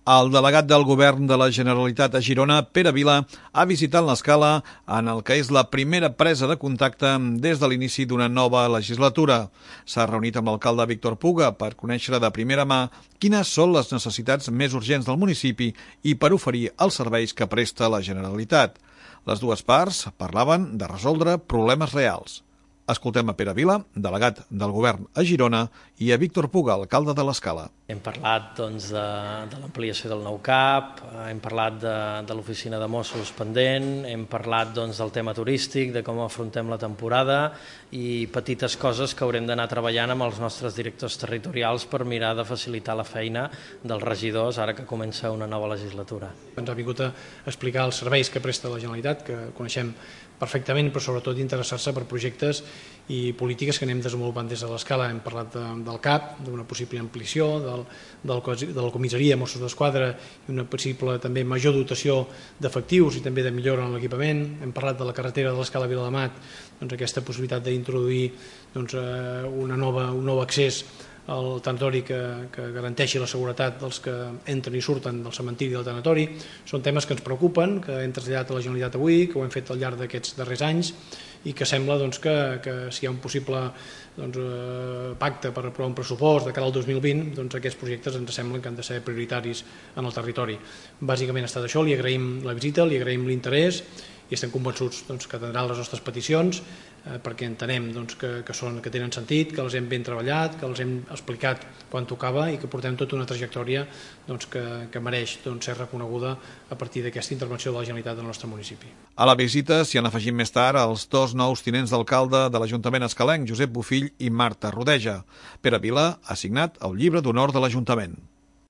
El delegat del Govern de la Generalitat a Girona, Pere Vila, ha visitat l'Escala en el que és la primera presa de contacte des de l'inici d'una nova legislatura. S'ha reunit amb l'alcalde Víctor Puga per conèixer de primera mà quines són les necessitats més urgents del municipi i per oferir els serveis que presta la Generalitat. Les dues parts parlaven de resoldre problemes reals. Escoltem a Pere Vila, delegat del Govern a Girona, i a Víctor Puga, alcalde de l'Escala. Hem parlat de l'ampliació del nou CAP, hem parlat de l'oficina de Mossos pendent, hem parlat del tema turístic, de com afrontem la temporada i petites coses que haurem d'anar treballant amb els nostres directors territorials per mirar de facilitar la feina dels regidors ara que comença una nova legislatura. Ens ha vingut a explicar els serveis que presta la Generalitat, que coneixem perfectament, però sobretot interessar-se per projectes i polítiques que anem desenvolupant des de l'Escala. Hem parlat del CAP, d'una possible ampliació, de la comissaria Mossos d'Esquadra i una possible també major dotació d'efectius i també de millora en l'equipament. Hem parlat de la carretera de l'Escala a Viladamat, aquesta possibilitat d'introduir un nou accés al tanatori que garanteixi la seguretat dels que entren i surten del cementiri del tanatori. Són temes que ens preocupen, que hem traslladat a la Generalitat avui, que ho hem fet al llarg d'aquests darrers anys i que sembla que si hi ha un possible pacte per aprovar un pressupost de cara al 2020, aquests projectes ens semblen que han de ser prioritaris en el territori. Bàsicament ha estat això, li agraïm la visita, li agraïm l'interès i estem convençuts que atendran les nostres peticions perquè entenem que tenen sentit, que les hem ben treballat, que les hem explicat quan tocava i que portem tota una trajectòria que mereix ser reconeguda a partir d'aquesta intervenció de la Generalitat del nostre municipi. A la visita s'hi han afegit més tard els dos nous tinents d'alcalde de l'Ajuntament escalenc, Josep Bofill i Marta Rodeja. Pere Vila ha signat el llibre d'honor de l'Ajuntament.